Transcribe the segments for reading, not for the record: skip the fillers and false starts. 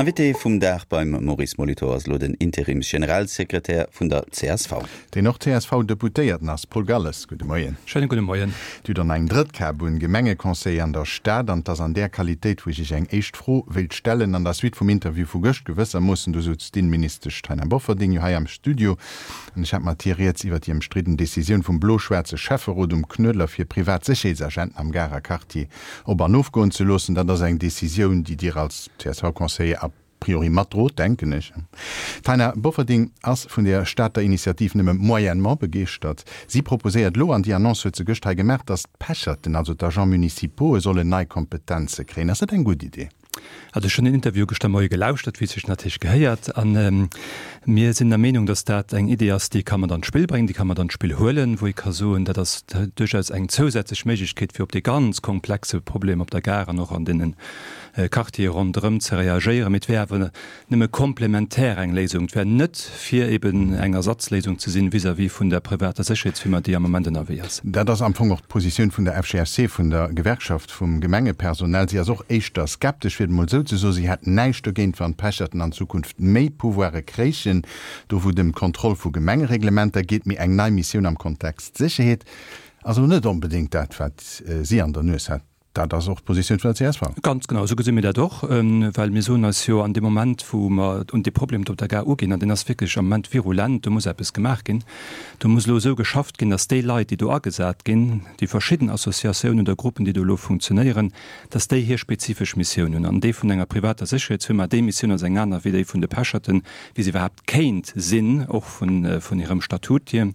Invité vum Dag beim Maurice Molitor ass elo den Interims-Generalsekretär vun der csv. Deen och CSV-Deputéierten ass. Paul Galles, gudde Moien. Schéine gudde Moien. Dir hutt an eng drëtt Kap un Gemengeconseiller an der Stad an 't ass an där Qualitéit, wou ech Iech eng éischt Fro wéilt stellen, an der Suite vum Interview vu gëscht gewëssermoossen. Do souz d'Inneministesch Taina Bofferding jo hei am Studio an ech hat mat hir rieds iwwer déi ëmstridden Decisioun vum blo-schwaarze Schäfferot um Knuedler fir privat Sécherheetsagenten am Garer Quartier op an ofgoen ze loossen. Dat ass eng Decisioun, déi Dir als CSV-Conseiller a priori matdrot, denken ech. D'Taina Bofferding ass vun der Stater Initiativ nëmme moyennement begeeschtert. Si proposéiert elo, an déi Annonce huet se gëscht hei gemaach, datt d'Pecherten, also d'Agents municipaux'e sollen nei Kompetenze kréien. Ass dat eng gutt Idee? Also ech hunn den Interview gëschter Moie gelauschtert, wéi et sech natierlech gehéiert. A mir sinn der Meenung, datt dat eng Idee ass, déi ka mat an d'Spill bréngen, déi ka mat an d'Spill huelen, wou ee ka soen, dat ass duerchaus eng zousätzlech Méiglechkeet, fir op dee ganz komplexe Problem op der Gare an och an deene Quartiere ronderëm ze reagéieren. Mee et wär awer nëmme komplementär eng Léisung. Et wär net fir eben eng Ersatzléisung ze sinn vis-à-vis vun der privater Sécherheetsfirma, déi am Moment ënnerwee ass. Dat ass am Fong och d'Positioun vun der FGFC, vun der Gewerkschaft vum Gemengepersonal. Si ass och éischter skeptesch, fir et emol esou ze soen. Si hätt näischt dogéint, wann d'Pecherten an Zukunft méi Pouvoire kréichen, do wou et ëm d'Kontroll vu Gemengereglementer geet. Mee eng nei Missioun am Kontext Sécherheet ass elo net onbedéngt dat, wat si an der Nues hat. Dat ass och d'Positioun vun der csv. Ganz genau, esou gesi mir dat och, well mir soen eis jo an deem Moment, wou mer un dee Problem do op der Gare uginn, an deen ass wierklech am Moment virulent, do muss eppes gemaach ginn, do muss elo esou geschafft ginn, datt déi Leit, déi do agesat ginn, déi verschidden Associatiounen oder Gruppen, déi do elo funktionéieren, datt déi hir spezifesch Missioun hunn. An déi vun enger privater Sécherheetsfirma, déi Missioun ass eng aner wéi déi vun de Pecherten, wéi se iwwerhaapt kéint sinn, och vun hirem Statut hier.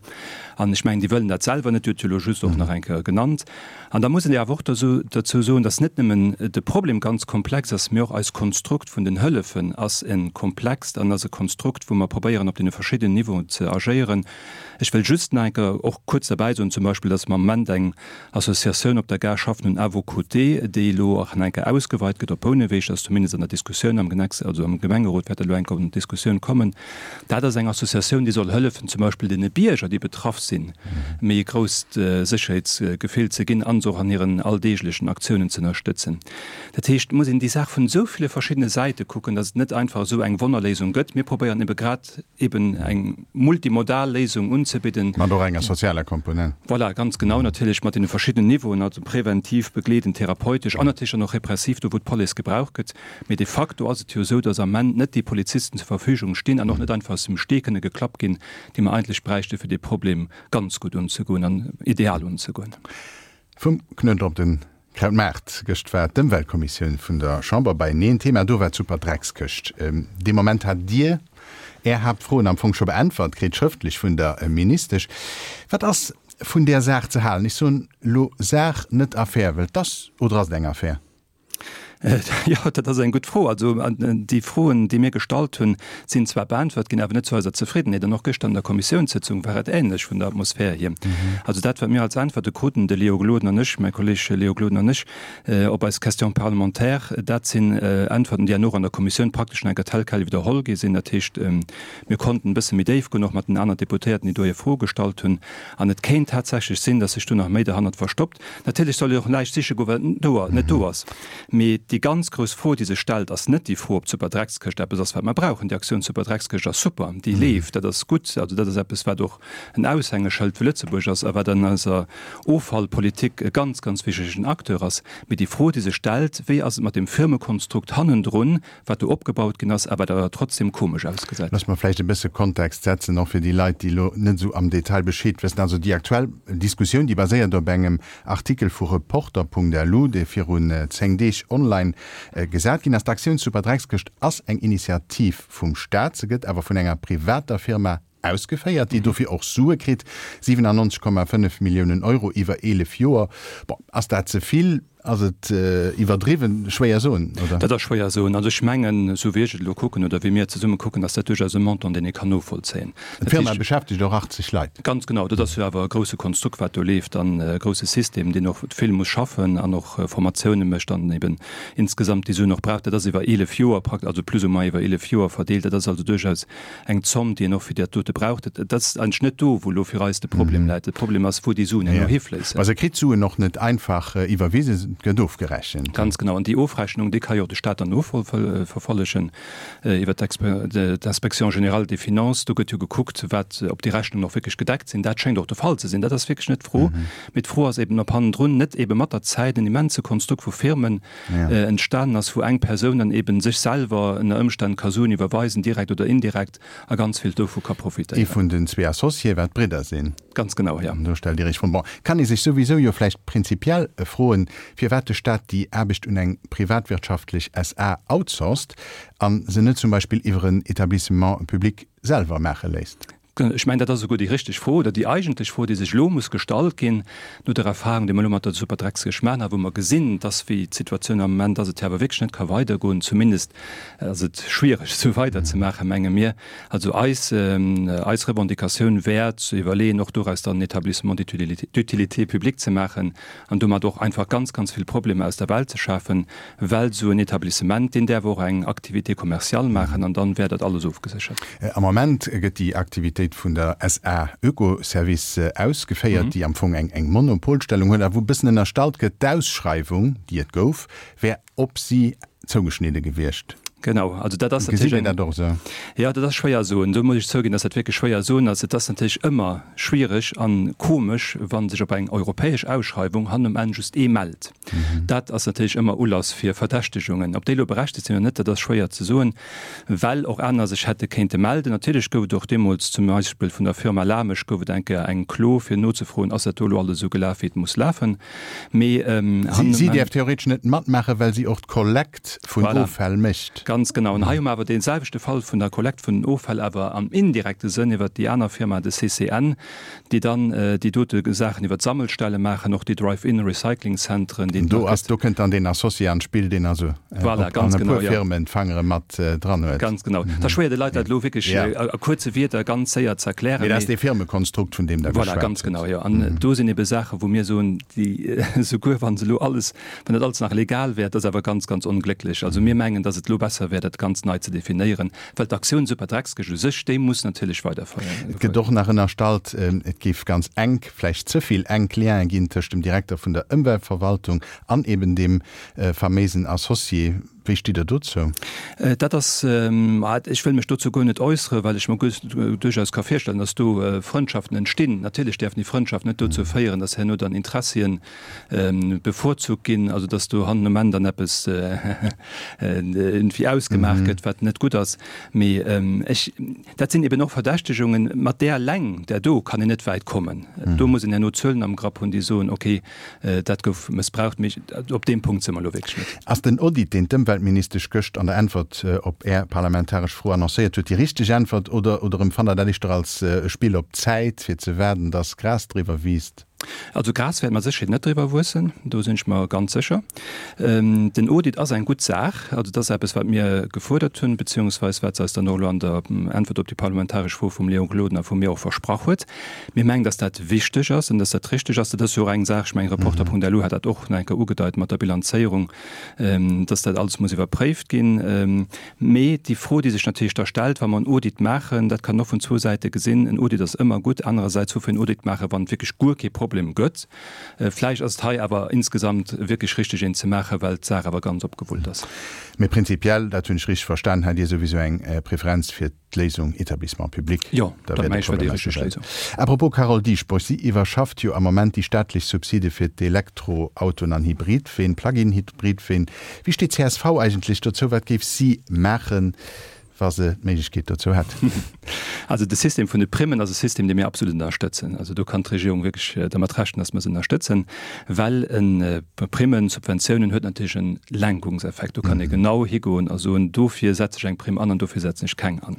An ech mengen, déi wëllen dat selwer net, Dir hutt se elo just och nach eng Kéier genannt. An da muss een awer och dozou soen, dass net nëmmen de Problem ganz komplex ass, mee och eist Konstrukt vun den Hëllefen ass e komplext an ass e Konstrukt, wou mer probéieren, op deene verschiddenen Niveauen ze agéieren. Ech wëll just nach eng Kéier och kuerz derbäi soen zum Beispill, dass mer am Moment eng Associatioun op der Gare schaffen hunn, À vos côtés, déi elo och nach eng Kéier ausgeweit gëtt op Bouneweg. Dat ass zumindest an der Diskussioun am Genex, also am Gemengerot wäert dat elo eng Kéier an d'Diskussioun kommen. Dat ass eng Associatioun, déi soll hëllefen, zum Beispill deene Bierger, déi betraff sinn, méi e grousst Sécherheetsgefill ze ginn a se och an hiren alldeeglechen Aktiounen ze ënnerstëtzen. Dat heescht, et muss een déi Saach vun esou ville verschiddene Säite kucken, datt et net einfach esou eng Wonnerléisung gëtt. Mir probéieren ebe grad eben eng multimodal Léisung unzebidden. Mat och enger sozialer Komponent. Voilà, ganz genau, natierlech mat deene verschiddenen Niveauen, also präventiv, begleedend, therapeutesch an natierlech dann och repressiv, do wou d'Police gebraucht gëtt. Mee de facto ass et jo esou, datt am Ament net déi Polizisten zur Verfügung stinn an och net einfach aus dem Stee kënne geklappt ginn, déi mer eigentlech bräichte fir dee Problem ganz gutt unzegoen an ideal unzegoen. Vum Knuedler op den Krautmaart, Gëscht war d'Ëmweltkommissioun vun der Chamber beieneen. Thema do war d'Superdreckskëscht. Dee Moment hat Dir Är Haaptfroen am Fong scho beäntwert kritt, schrëftlech vun der Ministesch. Wat ass vun där Saach ze halen? Ech soen elo Saach, net Affär, well 't ass, oder ass et eng Affär? Jo, dat ass eng gutt Fro. Also déi Froen, déi mir gestallt hunn, sinn zwar beäntwert ginn, awer net zu eiser Zefriddenheet. An och gëschter an der Kommissiounssëtzung war et änlech vun der Atmosphär hier. Also dat, wat mir als Äntwerte kruten, de Léo Gloden an ech, mäi Kolleg Léo Gloden an ech, op eis Question parlementaire, dat sinn Äntwerten, déi herno och an der Kommissioun praktesch nach eng Kéier tel quel widderholl gi sinn. Dat heescht, mir konnten e bësse méi déif goen, och mat den aner Deputéierten, déi do hir Froe gestallt hunn. An et kéint tatsächlech sinn, datt sech do nach méi derhannert verstoppt. Natierlech soll een och näischt siche goen, wat net do ass. Mee déi ganz grouss Fro, déi sech stellt, ass net déi Fro, ob d'Superdreckskëscht eppes ass, wat mer brauchen. Déi Aktioun Superdreckskëscht ass super, déi leeft, dat ass gutt. Also dat ass eppes, wat och en Aushängeschëld fir Lëtzebuerg ass a wat an eiser Offallpolitik e ganz, ganz wichtigen Acteur ass. Mee déi Fro, déi sech stellt, Wéi ass et mat deem Firmekonstrukt hannendrun, wat do opgebaut ginn ass a wat awer trotzdem komesch ausgesäit. Looss mer vläicht e bësse Kontext setzen, och fir déi Leit, déi elo net esou am Detail Bescheed wëssen. Also déi aktuell Diskussioun, déi baséiert op engem Artikel vu Reporter.lu, dee virun 10 Deeg online gesat ginn ass. D'Aktioun Superdreckskëscht ass eng Initiativ vum Staat, se gëtt awer vun enger privater Firma ausgeféiert, déi dofir och Sue kritt, 97,5 Milliounen Euro iwwer 11 Joer. Bon, ass dat ze vill? Ass et iwwerdriwwen? Schwéier soen, oder? Dat ass schwéier soen. Also ech mengen, esou wéi ech et elo kucken oder wéi mir et zesumme kucken, ass dat duerchaus e Montant, deen ee kann novollzéien. D'Firma beschäftegt och 80 Leit. Ganz genau. Dat ass jo awer e grousse Konstrukt, wat do leeft an e grousse System, deen och vill muss schaffen an och Formatioune mécht an eben insgesamt déi Suen och brauch. Dat ass iwwer 11 Joer, also plus ou moins iwwer 11 Joer verdeelt. Dat ass also duerchaus eng Zomm, déi een och fir dat dote braucht. Et ass eigentlech net do, wou elo fir eis de Problem läit. De Problem ass, wou déi Suen herno hifléissen. Mä se kritt d'Suen och net einfach iwwerwisen. Et gëtt ofgerechent. Ganz genau. An déi Ofrechnung, déi ka jo och de Stat dann noverfollegen iwwer d'Inspection générale des finances. Do gëtt jo gekuckt, wat, ob déi Rechnungen och wierklech gedeckt sinn. Dat schéngt och de Fall ze sinn. Dat ass wierklech net d'Fro. Mee d'Fro ass eben, ob hannendrun net ebe mat der Zäit en immense Konstrukt vu Firmen entstanen ass, wou eng Persoun dann eben sech selwer ënner Ëmstänn ka Suen iwwerweisen, direkt oder indirekt, a ganz vill dovu ka Ee profitéieren. vun den zwee Associéë, wat Bridder sinn. Ganz genau, jo. Do stellt Dir Iech Froen. Bon, kann ee sech souwisou jo vläicht prinzipiell froen, firwat de Staat déi Aarbecht un eng privatwirtschaftlech SA outsourced a se net zum Beispill iwwer en Etablissement public selwer maache léisst. Ech mengen, dat ass esouguer déi richteg Fro oder déi eigentlech Fro, déi sech elo muss gestallt ginn, no der Erfahrung, déi mer elo mat der Superdreckskëscht maachen a wou mer gesinn, dass, wéi d'Situatioun am Moment ass, et jo awer wierklech net ka weidergoen, zumindest ass et schwiereg, esou weiderzemaachen, menge mir. Also eis, eis Revendicatioun wär ze iwwerleeën, och doraus dann en Établissement d'utilité publique ze maachen an domat och einfach ganz, ganz vill Problemer aus der Welt ze schafen, well esou en Etablissement, deen däerf och eng Activité commerciale maachen an dann wär dat alles ofgeséchert. Am Moment gëtt déi Aktivitéit vun der SA Oekoservice ausgeféiert, déi am Fong eng Monopolstellung huet a wou e bëssen ënnerstallt gëtt, d'Ausschreiwung, déi et gouf, wär op si zougeschnidde gewiescht. Genau, also dat ass natierlech. Gesitt Dir dat och esou? Jo, dat ass schwéier soen. Do muss ech zouginn, dass dat wierklech schwéier soen ass. Et ass natierlech ëmmer schwiereg a komesch, wa sech op eng europäesch Ausschreiwung hannen um Enn just ee mellt. Dat ass natierlech ëmmer Ulass fir Verdächtegungen. Ob déi elo berechtegt sinn oder net, dat ass schwéier ze soen, well och aner sech hätte kéinte melden. Natierlech gouf et och deemools zum Beispill vun der Firma Lamesch gouf et eng Kéier eng Klo, fir nozefroen, ass dat do elo alles esou gelaf, wéi et muss lafen. Mee hannen Si däerf theoretesch net matmaachen, well si och d'Kollekt vun Voilà. Offäll mécht. Ganz genau. An hei hu mer awer dee selwechte Fall vun der Kollekt vun den Offäll, awer am indirekte Sënn iwwert déi aner Firma, de CCN, déi dann déi dote Saachen iwwert d'Sammelstelle maachen, och déi Drive-in-Recycling-Zentren, déi et Do nach ass, gëtt. do kënnt dann deen Associé an d'Spill, deen also Voilà, op ganz an e genau, puer jo. Firmen d'Fangere mat dran huet. Ganz genau. Et ass schwéier, de Leit dat elo wierklech Ja. a kuerze Wierder ganz séier ze erklären, Mee dat ass mee dee Firmekonstrukt, vun deem Der Voilà, geschwat ganz hutt. genau, jo. An do sinn ebe Saachen, wou mir soen, déi, souguer wa se elo alles, wann dat alles nach legal wär, dat ass awer ganz, ganz onglécklech. Also mir mengen, datt et elo besser wär, dat ganz nei ze definéieren, well d'Aktioun Superdreckskëscht u sech, déi muss natierlech weiderféieren. Et gëtt och nach ënnerstallt, et géif ganz enk, vläicht ze vill enk Liene ginn tëscht dem Direkter vun der Ëmweltverwaltung an eben deem faméisen Associé. Wéi stitt Der dozou? Dat ass, ech wëll mech dozou guer net äusseren, well ech mer duerchaus ka virstellen, datt do Frëndschaften entstinn. Natierlech däerfen déi Frëndschaften net dozou féieren, datt herno dann Interessien bevorzugt ginn, also datt do hannen um Enn dann eppes iergendwéi ausgemaach gëtt, wat net gutt ass. Mee ech, dat sinn eben och Verdächtegungen, mat där eleng, där do kann een net wäit kommen. Do muss een herno Zuelen am Grapp hunn, déi soen, okay, dat gouf mëssbraucht. Mee op deem Punkt si mer elo wierklech net. Ass den Audit, deen d'Ëmweltministesch gëscht an der Äntwert op Är parlamentaresch Fro annoncéiert huet, déi richteg Äntwert oder oder empfannt Der dat éischter als e Spill op Zäit, fir ze waarden, datt Gras driwwer wiisst? Also Gras wäert mat Sécherheet net driwwer wuessen, do sinn ech mer ganz sécher. Den Audit ass eng gutt Saach. Also dat ass eppes, wat mir gefuerdert hunn, beziehungsweis wat se eis dann och elo an der Äntwert op déi parlamentaresch Fro vum Léon Gloden a vu mir och versprach huet. Mir mengen, dass dat wichteg ass an dass dat richtig ass. Dat ass jo och eng Saach, ech mengen, Reporter.lu hat dat och nach eng Kéier ugedeit mat der Bilanzéierung, dass dat alles muss iwwerpréift ginn. Mee déi Fro, déi sech natierlech da stellt, wa mer en Audit maachen, dat kann een och vun zwou Säite gesinn, En Audit ass ëmmer gutt. Anerersäits, woufir en Audit maachen, wann et wierklech guer kee Problem gëtt? Vläicht ass et hei awer insgesamt wierklech richtig, een ze maachen, well d'Saach awer ganz opgewullt ass. Mee prinzipiell, dat hunn ech richtig verstan, hat Dir souwisou eng Preferenz fir d'Léisung Établissement public. Jo, dat mengen ech wär déi richteg Léisung. À propos Carole Dieschbourg, si iwwerschafft jo am Moment déi staatlech Subside fir d'Elektroautoen an Hybridween, Plug-in-Hybridween. Wéi steet csv eigentlech dozou? Wat géif si maachen, wa se d'Méiglechkeet dozou hätt? Also de System vun de Primmen ass e System, dee mir absolut ënnerstëtzen. Also do kann d'Regierung wierklech dermat rechnen, datt mer se ënnerstëtzen, well e Primmen, Subventiounen huet natierlech e Lenkungseffekt. Do kann ee genau higoen a soen, dofir setze ech eng Primm an an dofir setzen ech keng an.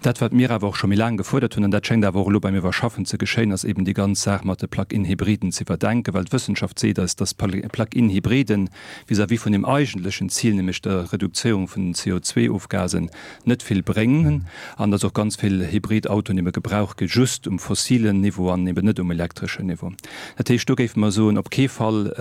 Dat, wat mir awer och scho méi laang gefuerdert hunn, an dat schéngt awer och elo beim Iwwerschaffen ze geschéien, ass eben déi ganz Saach mat de Plug-in-Hybriden ze iwwerdenken, well d'Wëssenschaft seet eis, dass Plug-in-Hybriden vis-à-vis vun dem eigentlechen Zil, nämlech der Redukzéierung vun den CO2-Ofgasen, net vill bréngen an dass och ganz vill Hybridautoen ebe gebraucht gi just um fossilen Niveau an eben net um elektreschen Niveau. Dat heescht, do géife mer soen, op kee Fall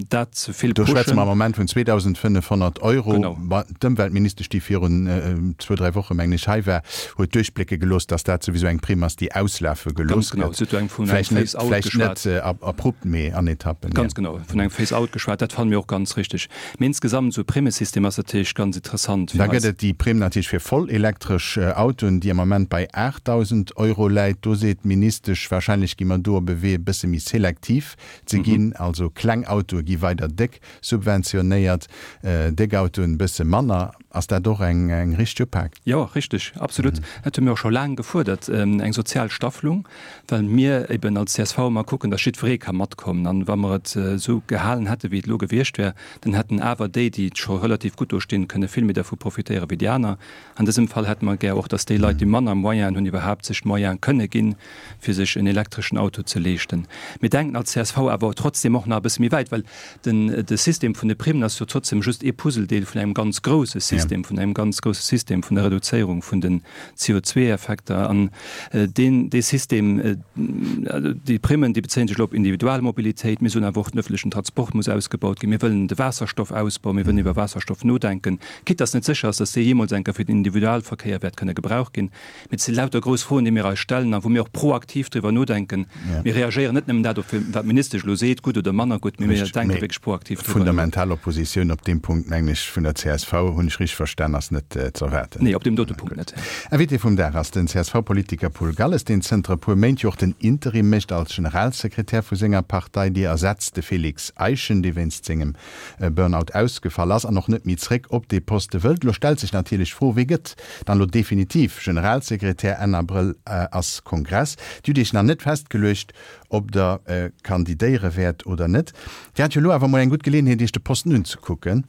dat ze vill Do schwätze mer am pushen. Moment vun 2.500 Euro. Genau. Ma d'Ëmweltministesch, déi virun zwou, dräi Woche, mengen ech, hei war, huet duerchblécke gelooss, dass dat souwisou eng Primm ass, déi auslafe Ganz gelooss genau. gëtt. Si huet do eng vun engem Vläicht net, Phase-out vläicht geschwat. net abrupt, mee an Etappen, ja. Ganz genau, vun engem Phase-out geschwat. Dat fanne mir och ganz richtig. Mee insgesamt, esou e Primmesystem ass natierlech ganz interessant fir Da gëtt eis. et déi Primm natierlech fir voll elektresch Autoen, déi am Ament bei 8.000 Euro läit. Do seet d'Ministesch, warscheinlech gi mer do op e Wee e bësse méi selektiv ze ginn. Also kleng Autoe gi weider déck subventionéiert, déck Autoen e bësse manner. Ass dat och eng eng richteg Upak? Jo, richteg, absolut. Dat hu mir och scho laang gefuerdert, eng sozial Staffelung, well mir eben als csv ëmmer kucken, datt jiddweree ka matkommen. An wa mer et esou gehalen hätte wéi et elo gewiescht wär, dann hätten awer déi, déi scho relativ gutt do stinn, kënne vill méi dervu profitéiere wéi déi aner. An dësem Fall hätte mer gär och, datt déi Leit, déi manner Moyenen hunn, iwwerhaapt sech d'Moyene kënne ginn, fir sech en elektreschen Auto ze leeschten. Mir denken als csv awer trotzdem och nach e bësse méi wäit, well den, de System vun de Primmen ass jo trotzdem just ee Puzzledeel vun engem ganz grouse System, vun engem ganz grouse System vun der Reduzéierung vun den CO2-Effekter. An deen, dee System, déi Primmen, déi bezéien sech elo op Individualmobilitéit. Mir soen awer och, den öffentlechen Transport muss ausgebaut ginn. Mir wëllen de Waasserstoffausbau, mir wëllen iwwer Waasserstoff nodenken, quitte dass net sécher ass, dass dee jeemools eng Kéier fir den Individualverkéier wäert kënne gebraucht ginn. Mee et si lauter grouss Froen, déi mir eis stellen a wou mir och proaktiv driwwer nodenken. Mir reagéieren net nëmmen dat op, wat d'Ministesch elo seet, gutt oder manner gutt, mee mir denke wierklech proaktiv driwwer no. Fundamental Oppositioun op deem Punkt, mengen ech, vun der csv, hunn ech richteg verstan, ass net ze erwaarden. Nee, op deem dote Punkt net. Invité vum Dag ass den CSV-Politiker Paul Galles, deen zënter e puer Méint jo och den Interim mécht als Generalsekretär vu senger Partei. Déi ersetzt de Félix Eischen, dee wéinst sengem Burnout ausgefall ass an och net méi zréck op dee Poste wëllt. Elo stellt sech natierlech d'Fro, Wee gëtt dann elo definitiv Generalsekretär? Enn Abrëll ass Kongress. Dir hutt Iech nach net festgeluecht, ob Der kandidéiere wäert oder net. Dir hat jo elo awer mol eng gutt Geleeënheet, Iech de Posten unzekucken.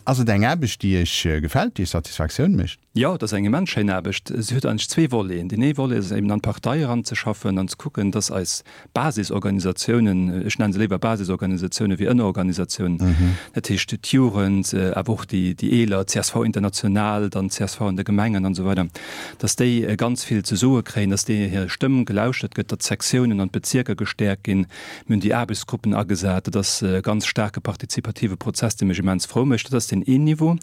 Ass et eng Aarbecht, déi Iech gefält, déi Iech Satisfaktioun mécht? Jo, et ass eng immens schéin Aarbecht. Se huet eigentlech zwee Voleten. Deen ee Volet ass eben an d'Partei eranzeschaffen an ze kucken, dass eis Basisorganisatiounen, ech nennen se léiwer Basisorganisatiounen wéi Ënnerorganisatiounen, dat heescht d'Jugend, awer och déi Eeler, csv International, dann csv an de Gemengen an esou weider, dass déi ganz vill ze soe kréien, dass deenen hir Stëmm gelauschtert gëtt, datt d'Sektiounen an d'Bezierker gestäerkt ginn. Mir hunn déi Aarbechtsgruppen agesat. Dat ass e ganz staarke partizipative Prozess, dee mech immens frou mécht. Dat ass deen een Niveau.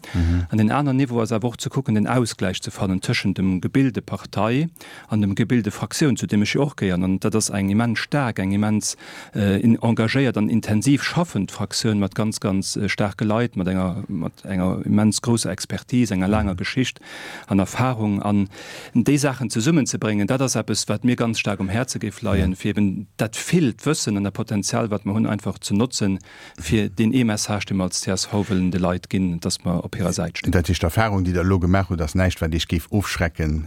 An deen aneren Niveau ass awer och ze kucken, den Ausgläich ze fannen tëschent dem Gebilde Partei an dem Gebilde Fraktioun, zu deem ech jo och gehéieren. An dat ass eng immens staark, eng immens engagéiert an intensiv schaffend Fraktioun mat ganz, ganz staarke Leit, mat enger, mat enger immens grousser Expertise, enger laanger Geschicht an Erfahrung. An déi Saachen zesummenzebréngen, dat ass eppes, wat mir ganz staark um Häerze géif leien, fir eben dat villt Wëssen an dat Potenzial, wat mer hunn, einfach ze notzen, fir deen ee Message, dee mer als csv wëllen de Leit ginn, dass mer op hirer Säit stinn. Dat heescht, d'Erfahrung, déi Der elo gemaach hutt, ass näischt, wat Iech géif ofschrecken,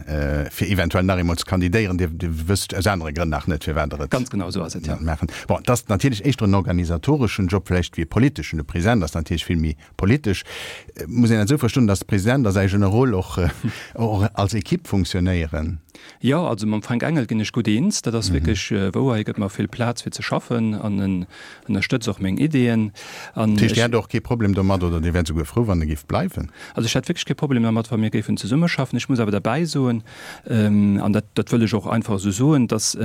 fir eventuell nach eemol ze kandidéieren. Dir wësst aus anere Grënn nach net, firwat Der et Ganz genau esou ass et, jo. maachen. Bon, et ass natierlech éischter en organisatoreschen Job vläicht wéi e politeschen. De President ass natierlech vill méi politesch. Muss een dat esou verstoen, dass de President a säi Generol och als Equipe funktionéieren? Jo, also mam Fränk Engel ginn ech gutt eens. Dat ass wierklech wouer. Hie gëtt mer vill Plaz fir ze schaffen an en ënnerstëtzt och meng Ideeën. An Dat heescht, Dir hätt och kee Problem domat oder Dir wäert souguer frou, wann e géif bleiwen? Also ech hätt wierklech kee Problem dermat, wa mir géifen zesummeschaffen. Ech muss awer derbäi soen, an dat, dat wëll ech och einfach esou soen, dass,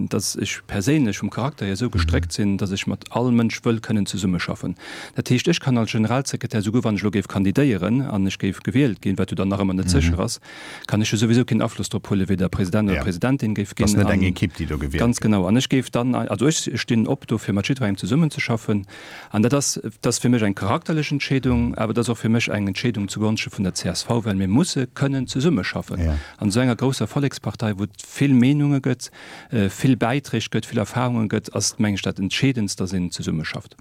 dass ech perséinlech vum Charakter hier esou gestréckt sinn, dass ech mat all Mënsch wëll kënnen zesummeschaffen. Dat heescht, ech kann als Generalsekretär, souguer wann ech elo géif kandidéieren an ech géif gewielt ginn, wat jo dann nach ëmmer net sécher ass, kann ech jo souwisou keen Afloss drop huelen, wéi der President oder d'Presidentin géif ginn. Ass net eng Equipe, déi do gewielt gëtt. Ganz genau. An ech géif dann, also ech stinn op dofir, mat jiddwerengem zesummenzeschaffen. An dat ass, dat ass fir mech eng charakterlech Entscheedung, awer dat ass och fir mech eng Entscheedung zugonschte vun der csv, well mir musse kënnen zesummeschaffen an esou enger grousser Vollekspartei, wou et vill Meenunge gëtt, vill Bäiträg gëtt, vill Erfahrunge gëtt, ass, meng ech, dat Entscheedendst, dass een zesummeschaft.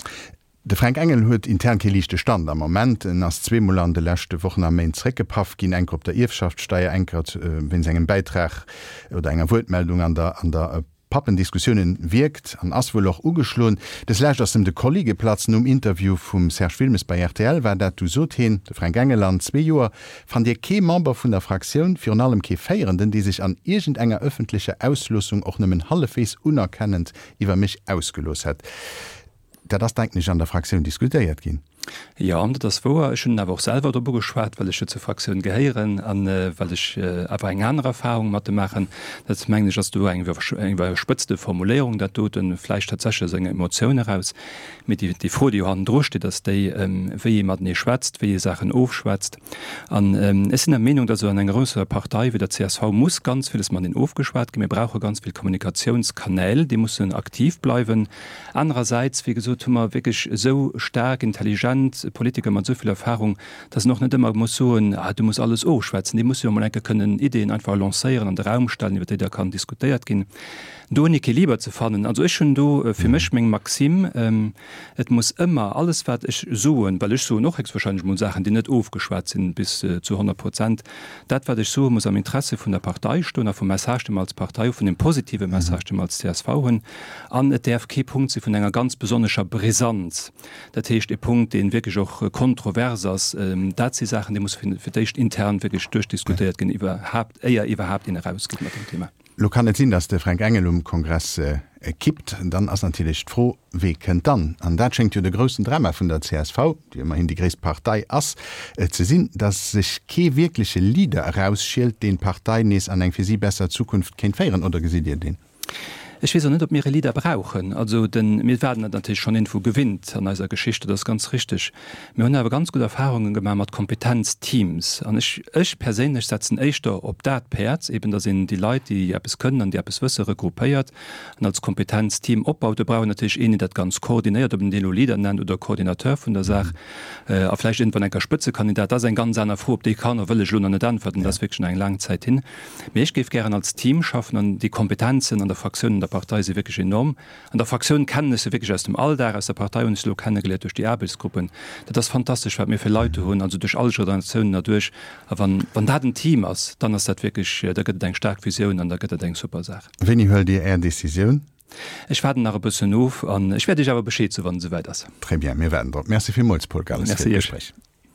De Fränk Engel huet intern kee liichte Stand am Moment. En ass zweemol an de leschte Wochen a Méint zeréckgepaff ginn, eng Kéier op der Ierfschaftssteier, eng Kéier wéinst engem Bäitrag oder enger Wuertmeldung an der an der Pappendiskussiounen. Wierkt an ass wuel och ugeschloen. Des Lescht ass em de Kolli geplatzt. Nom Interview vum Serge Wilmes bei rtl war dat. Du sot heen, de Fränk Engel, An zwee Joer fannt Dir kee Member vun der Fraktioun, virun allem kee Féierenden, dee sech an iergendenger ëffentlecher Ausloossung och nëmmen hallefwegs unerkennend iwwer mech ausgelooss hätt. Dat ass, denken ech, an der Fraktioun diskutéiert ginn. Jo, dat ass wouer. Ech hunn en awer och selwer drop ugeschwat, well ech jo zur Fraktioun gehéieren a well ech awer eng aner Erfahrung mat em maachen. Dat, mengen ech, ass do eng iwwerspëtzte Formuléierung, dat doten, vläicht tatsächlech aus enger Emotioun eraus. Mee déi Fro, déi jo hannendru steet, ass déi, wéi ee matenee schwätzt, wéi ee Saachen ofschwätzt. An ech sinn der Meenung, datt esou an enger grousser Partei wéi der csv muss ganz villes mateneen ofgeschwat ginn. Mir brauche ganz vill Kommunikatiounskanäl, déi mussen aktiv bleiwen. Anerersäits, wéi gesot, hu mer wierklech esou staark, intelligent Politiker mat esou vill Erfahrung, datt een och net ëmmer muss soen, ah, du muss alles ofschwätzen. Déi musse jo emol eng Kéier kënnen Ideeën einfach lancéieren, an de Raum stellen, iwwer déi da kann diskutéiert ginn. Do en Equiliber ze fannen, also ech hunn do fir mech meng Maxime, Et muss ëmmer alles wat ech soen, well ech soen och héchstwahrscheinlech emol Saachen, déi net ofgeschwat sinn bis zu 100 Prozent, dat wat ech soe muss am Interesse vun der Partei stoen a vum Message dee mer als Partei hu, vun dem positive Message dee mer als csv hunn. An et däerf kee Punkt si vun enger ganz besonnescher Brisanz, dat heescht e Punkt dee wierklech och kontrovers ass. Dat si Saachen, déi musse fir d'éischt intern wierklech duerchdiskutéiert ginn, iwwerhaapt, éier iwwerhaapt een erausgeet mat dem Thema. Lo kann et sinn, datt de Fränk Engel um Kongress kippt. Dann ass natierlech d'Fro, Wee kënnt dann? An dat schéngt jo de groussen Drama vun der csv, déi ëmmerhin déi gréisst Partei ass, ze sinn, datt sech kee wierkleche Leader erausschielt, deen d'Partei nees an eng fir si besser Zukunft kéint féieren. Oder gesitt Dir deen? Ech weess och net, ob mir e Leader brauchen. Also den, mir waren dat natierlech schonn iergendwou gewinnt an eiser Geschicht, dat ass ganz richteg. Mir hunn awer ganz gutt Erfahrunge gemaach mat Kompetenzteams. An ech, ech perséinlech setzen éischter op dat Päerd, eben datt een déi Leit, déi eppes kënnen an déi eppes wësse regroupéiert an als Kompetenzteam opbaut. Do brauch een natierlech een, deen dat Ganzt koordinéiert, ob een deen elo Leader nennt oder Coordinateur vun der Saach a vläicht iergendwann eng Kéier Spëtzekandidat. Dat ass eng ganz aner Fro, op déi kann a wëll ech elo nach net äntwerten. Dat ass wierklech nach eng laang Zäit hin. Mee ech géif gären als Team schaffen an déi Kompetenzen an der Fraktioun, an der Partei si wierklech enorm. An der Fraktioun kennen ech se wierklech aus dem Alldag, aus der Partei hunn ech se elo kennegeléiert duerch déi Aarbechtsgruppen. Dat ass fantastesch, wat mir fir Leit do hunn, also duerch all Generatiounen erduerch. A wann, wann dat en Team ass, dann ass dat wierklech, da gëtt et eng staark Visioun an da gëtt dat eng super Saach. Wéini huelt Dir Är Decisioun? Ech waarden nach e bëssen of an ech wäert Iech awer Bescheed soen, wann et esouwäit ass. Très bien, mir waarden drop. Merci villmools, Paul Galles, fir d'Gespréich. Merci Iech.